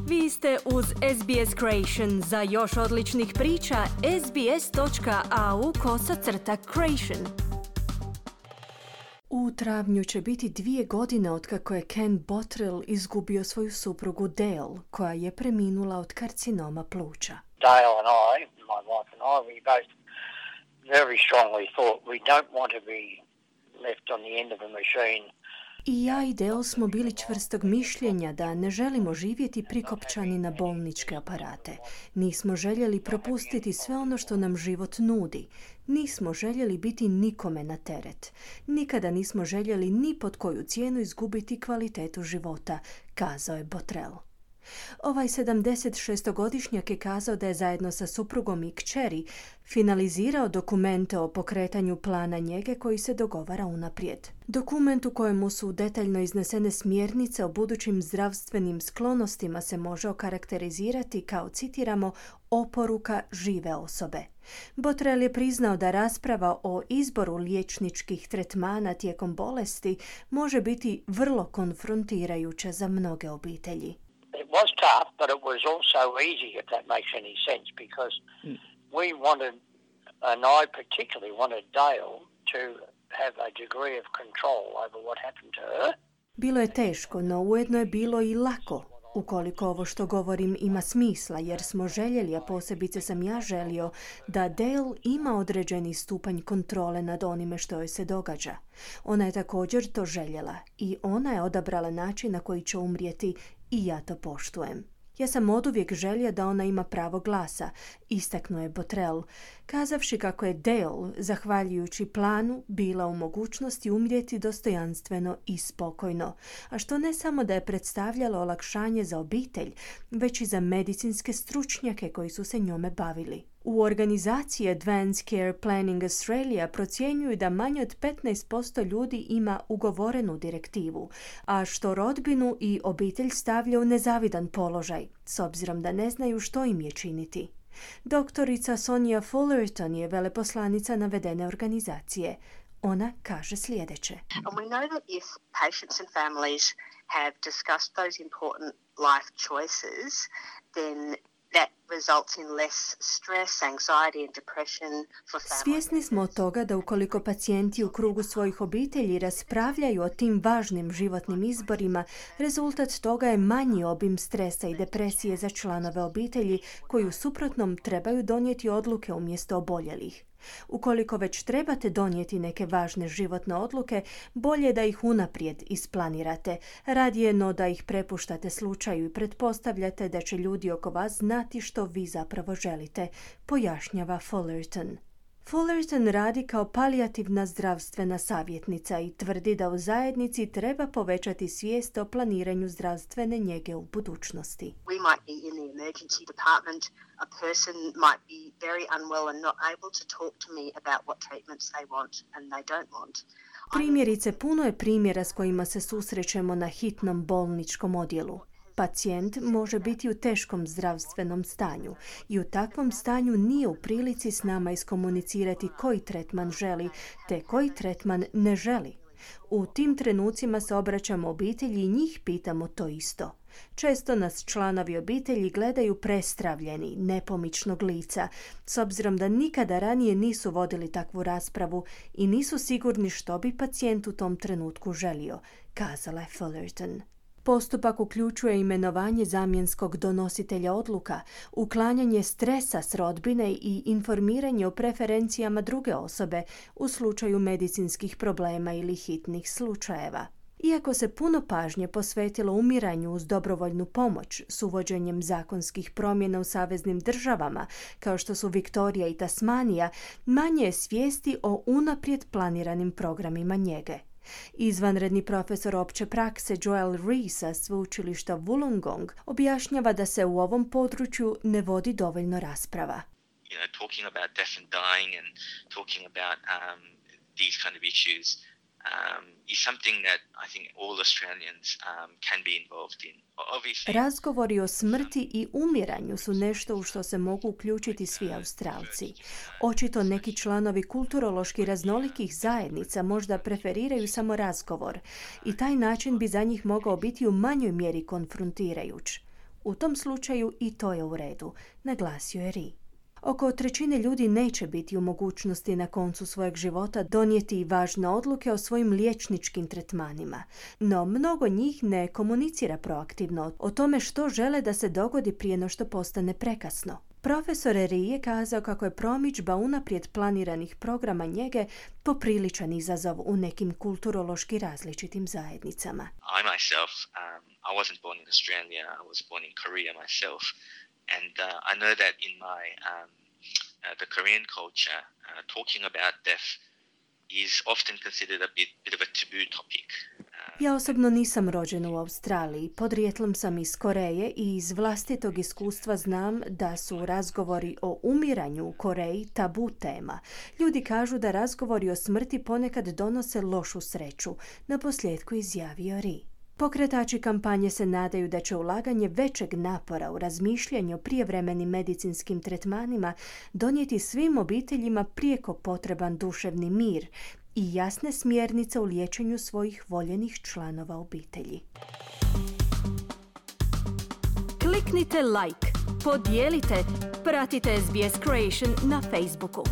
Vi ste uz SBS Creation. Za još odličnih priča, sbs.au/creation. U travnju će biti 2 godine otkako je Ken Bottrell izgubio svoju suprugu Dale, koja je preminula od karcinoma pluća. Dale and I, my wife and I, we both very strongly thought we don't want to be left on the end of a machine. I ja i Dale smo bili čvrstog mišljenja da ne želimo živjeti prikopčani na bolničke aparate. Nismo željeli propustiti sve ono što nam život nudi. Nismo željeli biti nikome na teret. Nikada nismo željeli ni pod koju cijenu izgubiti kvalitetu života, kazao je Bottrell. Ovaj 76-godišnjak je kazao da je zajedno sa suprugom i kćeri finalizirao dokumente o pokretanju plana njege koji se dogovara unaprijed. Dokument u kojemu su detaljno iznesene smjernice o budućim zdravstvenim sklonostima se može okarakterizirati kao, citiramo, oporuka žive osobe. Bottrell je priznao da rasprava o izboru liječničkih tretmana tijekom bolesti može biti vrlo konfrontirajuća za mnoge obitelji. It was tough, but it was also easy, if that makes any sense, because we wanted, and I particularly wanted Dale to have a degree of control over what happened to her. Bilo je teško, no ujedno je bilo i lako, ukoliko ovo što govorim ima smisla, jer smo željeli, a posebice sam ja želio, da Dale ima određeni stupanj kontrole nad onime što joj se događa. Ona je također to željela i ona je odabrala način na koji će umrijeti i ja to poštujem. Ja sam oduvijek želio da ona ima pravo glasa, istaknuo je Bottrell, kazavši kako je Dale, zahvaljujući planu, bila u mogućnosti umrijeti dostojanstveno i spokojno, a što ne samo da je predstavljalo olakšanje za obitelj, već i za medicinske stručnjake koji su se njome bavili. U organizaciji Advanced Care Planning Australia procjenjuju da manje od 15% ljudi ima ugovorenu direktivu, a što rodbinu i obitelj stavlja u nezavidan položaj, s obzirom da ne znaju što im je činiti. Doktorica Sonia Fullerton je veleposlanica navedene organizacije. Ona kaže sljedeće. And we know that if patients and families have discussed those important life choices, then that results in less stress, anxiety and depression for families. Svjesni smo od toga da ukoliko pacijenti u krugu svojih obitelji raspravljaju o tim važnim životnim izborima, rezultat toga je manji obim stresa i depresije za članove obitelji koji u suprotnom trebaju donijeti odluke umjesto oboljelih. Ukoliko već trebate donijeti neke važne životne odluke, bolje da ih unaprijed isplanirate, radije no da ih prepuštate slučaju i pretpostavljate da će ljudi oko vas znati što vi zapravo želite, pojašnjava Fullerton. Fullerton radi kao palijativna zdravstvena savjetnica i tvrdi da u zajednici treba povećati svijest o planiranju zdravstvene njege u budućnosti. We might be in the emergency department. A person might be very unwell and not able to talk to me about what treatments they want and they don't want. Primjerice, puno je primjera s kojima se susrećemo na hitnom bolničkom odjelu. Pacijent može biti u teškom zdravstvenom stanju i u takvom stanju nije u prilici s nama iskomunicirati koji tretman želi, te koji tretman ne želi. U tim trenucima se obraćamo obitelji i njih pitamo to isto. Često nas članovi obitelji gledaju prestravljeni, nepomičnog lica, s obzirom da nikada ranije nisu vodili takvu raspravu i nisu sigurni što bi pacijent u tom trenutku želio, kazala je Fullerton. Postupak uključuje imenovanje zamjenskog donositelja odluka, uklanjanje stresa s rodbine i informiranje o preferencijama druge osobe u slučaju medicinskih problema ili hitnih slučajeva. Iako se puno pažnje posvetilo umiranju uz dobrovoljnu pomoć s uvođenjem zakonskih promjena u saveznim državama, kao što su Viktorija i Tasmanija, manje je svijesti o unaprijed planiranim programima njege. Izvanredni profesor opće prakse Joel Rees sa sveučilišta Wollongong objašnjava da se u ovom području ne vodi dovoljno rasprava. Talking about death and dying and talking about these kind of issues is something that I think all Australians can be involved in. Razgovori o smrti i umiranju su nešto u što se mogu uključiti svi Australci. Očito neki članovi kulturološki raznolikih zajednica možda preferiraju samo razgovor i taj način bi za njih mogao biti u manjoj mjeri konfrontirajuć. U tom slučaju i to je u redu, naglasio je Ri. Oko 1/3 ljudi neće biti u mogućnosti na koncu svojeg života donijeti važne odluke o svojim liječničkim tretmanima, no mnogo njih ne komunicira proaktivno o tome što žele da se dogodi prije no što postane prekasno. Profesor Ri je kazao kako je promidžba unaprijed planiranih programa njege popriličan izazov u nekim kulturološki različitim zajednicama. I myself, I wasn't born in Australia, I was born in Korea myself. And I know that in my the Korean culture, talking about death is often considered a bit of a taboo topic. Ja osobno nisam rođen u Australiji, podrijetlom sam iz Koreje i iz vlastitog iskustva znam da su razgovori o umiranju u Koreji tabu tema. Ljudi kažu da razgovori o smrti ponekad donose lošu sreću, naposljetku izjavio Ri. Pokretači kampanje se nadaju da će ulaganje većeg napora u razmišljanje o prijevremenim medicinskim tretmanima donijeti svim obiteljima prijeko potreban duševni mir i jasne smjernice u liječenju svojih voljenih članova obitelji. Kliknite like, podijelite, pratite SBS Creation na Facebooku.